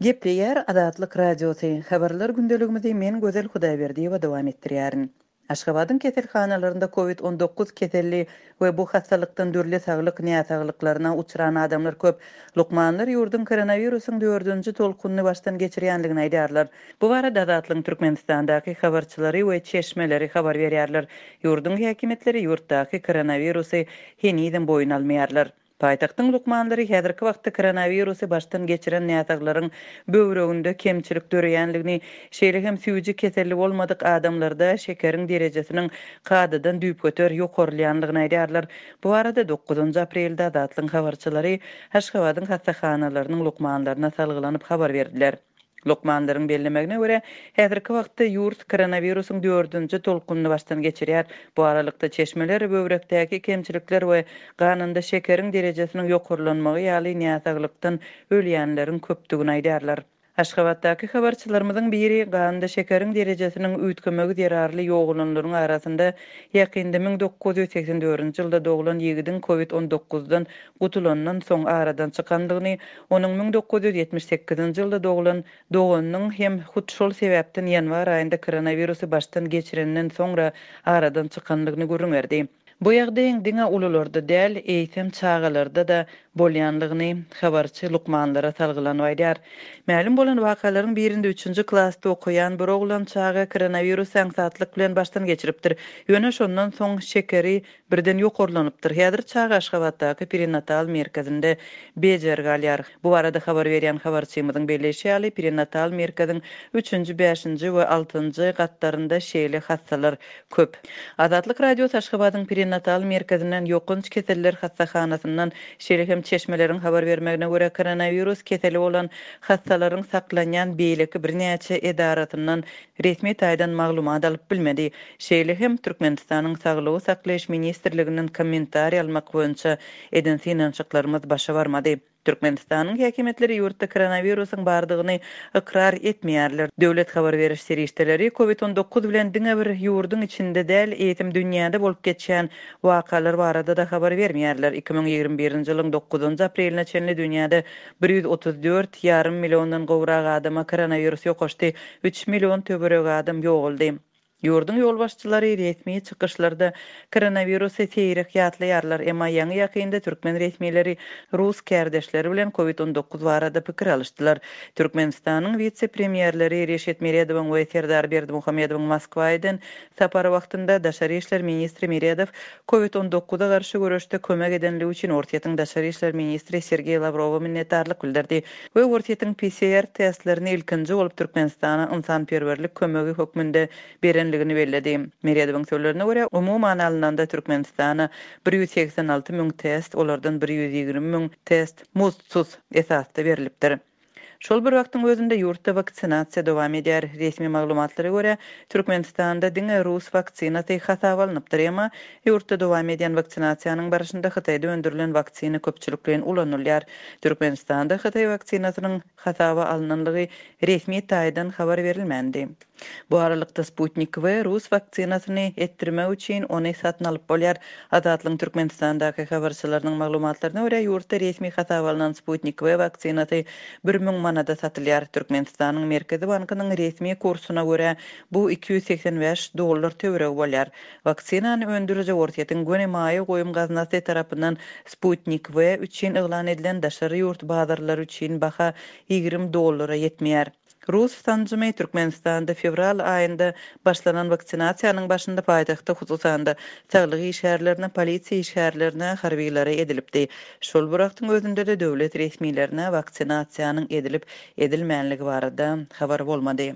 Gepleýär Azatlyk Radiosy, Habarlar gündeligimizi men Gözel Hudaýberdiýewa dowam etdirýärin. Aşgabadyň keselhanalarynda Covid 19 keselli we bu hassalykdan dürli saglyk näsaglyklaryna uçran adamlar köp. Lukmanlar ýurduň koronawirusyň dördünji tolkunyny başdan geçirýändigini aýdýarlar. Bu barada Azatlygyň Türkmenistandaky habarçylary we çeşmeleri habar berýärler. Ýurduň häkimiýetleri ýurtdaky koronawirusy henizem boýun almaýarlar. Paýtagtyň lukmanlary häzirki wagtda koronawirusy başdan geçiren näsaglaryň böwreginde kemçilik döreýändigini, şeýle hem süýji keselli bolmadyk adamlarda şekeriň derejesiniň kadadan düýpgöter ýokarlaýandygyny aýdýarlar. Bu barada dokuzynjy aprelde Azatlygyň habarçylary Aşgabadyň hassahanalarynyň lukmanlaryna salgylanyp habar berdiler. Lukmanlaryň bellemegine görä, häzirki wagtda ýurt koronawirusyň dördünji tolkunyny başdan geçirýär. Bu aralykda, çeşmeler böwrekdäki kemçilikler we ganynda şekeriň derejesiniň ýokarlanmagy ýaly näsaglykdan ölýänleriň köpdügini aýdýarlar. Aşgabatdaky habarçylarymyzyň biri ganda şekeriň derejesiniň üýtgemegi zerarly ýogalanlaryň arasynda ýakynda 1984-nji ýylda doglan ýigidiň covid 19-dan gutulandan soň aradan çykandygyny, onuň 1978-nji ýylda doglan doganynyň hem hut şol sebäpden ýanwar aýynda koronawirusy başdan geçirenden soňra aradan çykandygyny gürrüň berdi. Bu ýagdaýyň diňe ulularda däl, eýsem çagalarda-da bolýanlygyny habarçy lukmanlara salgylanyp aýdýar. Mälim bolan wakalaryň birinde üçünji klasda okaýan bir oglan çaga koronawirusy aňsatlyk bilen başdan geçiripdir. Ýöne şondan soň şekeri Birden ýokarlanypdyr. Häzir çaga Aşgabatdaky perinatal merkezinde bejergi alýar. Bu barada habar berýän habarçymyzyň belleýşi ýaly, perinatal merkeziň üçünji, bäşinji we altynjy gatlarynda şeýle hassalar köp. Azatlyk Radiosy Aşgabadyň perinatal merkezinden, ýokanç keseller hassahanasyndan, şeýle hem çeşmeleriň habar bermegine görä, koronawirus keseli bolan hassalaryň saklanýan beýleki birnäçe edarasyndan resmi taýdan maglumat alyp bilmedi. Şeýle hem, Türkmenistanyň Saglygy saklaýyş ministrliginden kommentariý almak boýunça eden synanyşyklarymyz başa barmady. Türkmenistanyň häkimiýetleri ýurtda koronawirusyň bardygyny ykrar etmeýärler. Döwlet habar beriş serişdeleri Covid 19 bilen diňe bir ýurduň içinde däl, eýsem dünýäde bolup geçýän wakalar barada-da habar bermeýärler. 2021-nji ýylyň dokuzynjy apreline çenli dünýäde 134 ýarym milliondan gowrak adama koronawirus ýokaşdy, üç million töweregi adam ýogaldy. Ýurduň ýolbaşçylary resmi çykyşlarda koronawirusy seýrek ýatlaýarlar, emma ýaňy-ýakynda türkmen resmileri rus kärdeşleri bilen Covid 19 barada pikir alyşdylar. Türkmenistanyň wise-premýerleri Reşit Meredowyň we Serdar Berdimuhamedowyň Moskwa eden sapary wagtynda daşary işler ministri Meredow Covid 19-a garşy göreşde kömek edenligi üçin Orsýetiň daşary işler ministri Sergeý Lawrowa minnetdarlyk bildirdi. We Orsýetiň PCR testlerini ilkinji bolup Türkmenistana ynsanperwerlik kömegi hökmünde berenligini belledi. Meredowyň sözlerine görä, umuman alnanda Türkmenistana 186 müň test, olardan 120 müň test muzdsuz esasda berlipdir. Şol bir wagtyň özünde ýurtda waksinasiýa dowam edýär. Resmi maglumatlara görä, Türkmenistanda diňe rus waksinasy hasaba alnypdyr, emma ýurtda dowam edýän waksinasiýanyň barşynda Hytaýda öndürilen waksina köpçülikleýin ulanylýar. Türkmenistanda hytaý waksinasynyň hasaba alnanlygy resmi taýdan habar berilmändi. Bu aralykda, Sputnik V rus waksinasyny etdirmek üçin ony satyn alyp bolýar. Azatlygyň Türkmenistandaky habarçylarynyň maglumatlaryna görä, ýurtda resmi hasaba alnan Sputnik V waksinasy 1000 manada satylýar. Türkmenistanyň Merkezi bankynyň resmi kursuna görä, bu 285 dollar töweregi bolýar. Waksinany öndüriji Orsýetiň göni maýa goýum gaznasy tarapyndan Sputnik V üçin yglan edilen daşary ýurt bazarlary üçin baha 20 dollara ýetmeýär. Rus sanjymy Türkmenistanda fewral aýynda başlanan waksinasiýanyň başynda paýtagtda hususan-da, saglyk işgärlerine, polisiýa işgärlerine, harbylara edilipdi. Şol bir wagtyň özünde-de döwlet resmilerine waksinasiýanyň edilip-edilmänligi barada habar bolmady.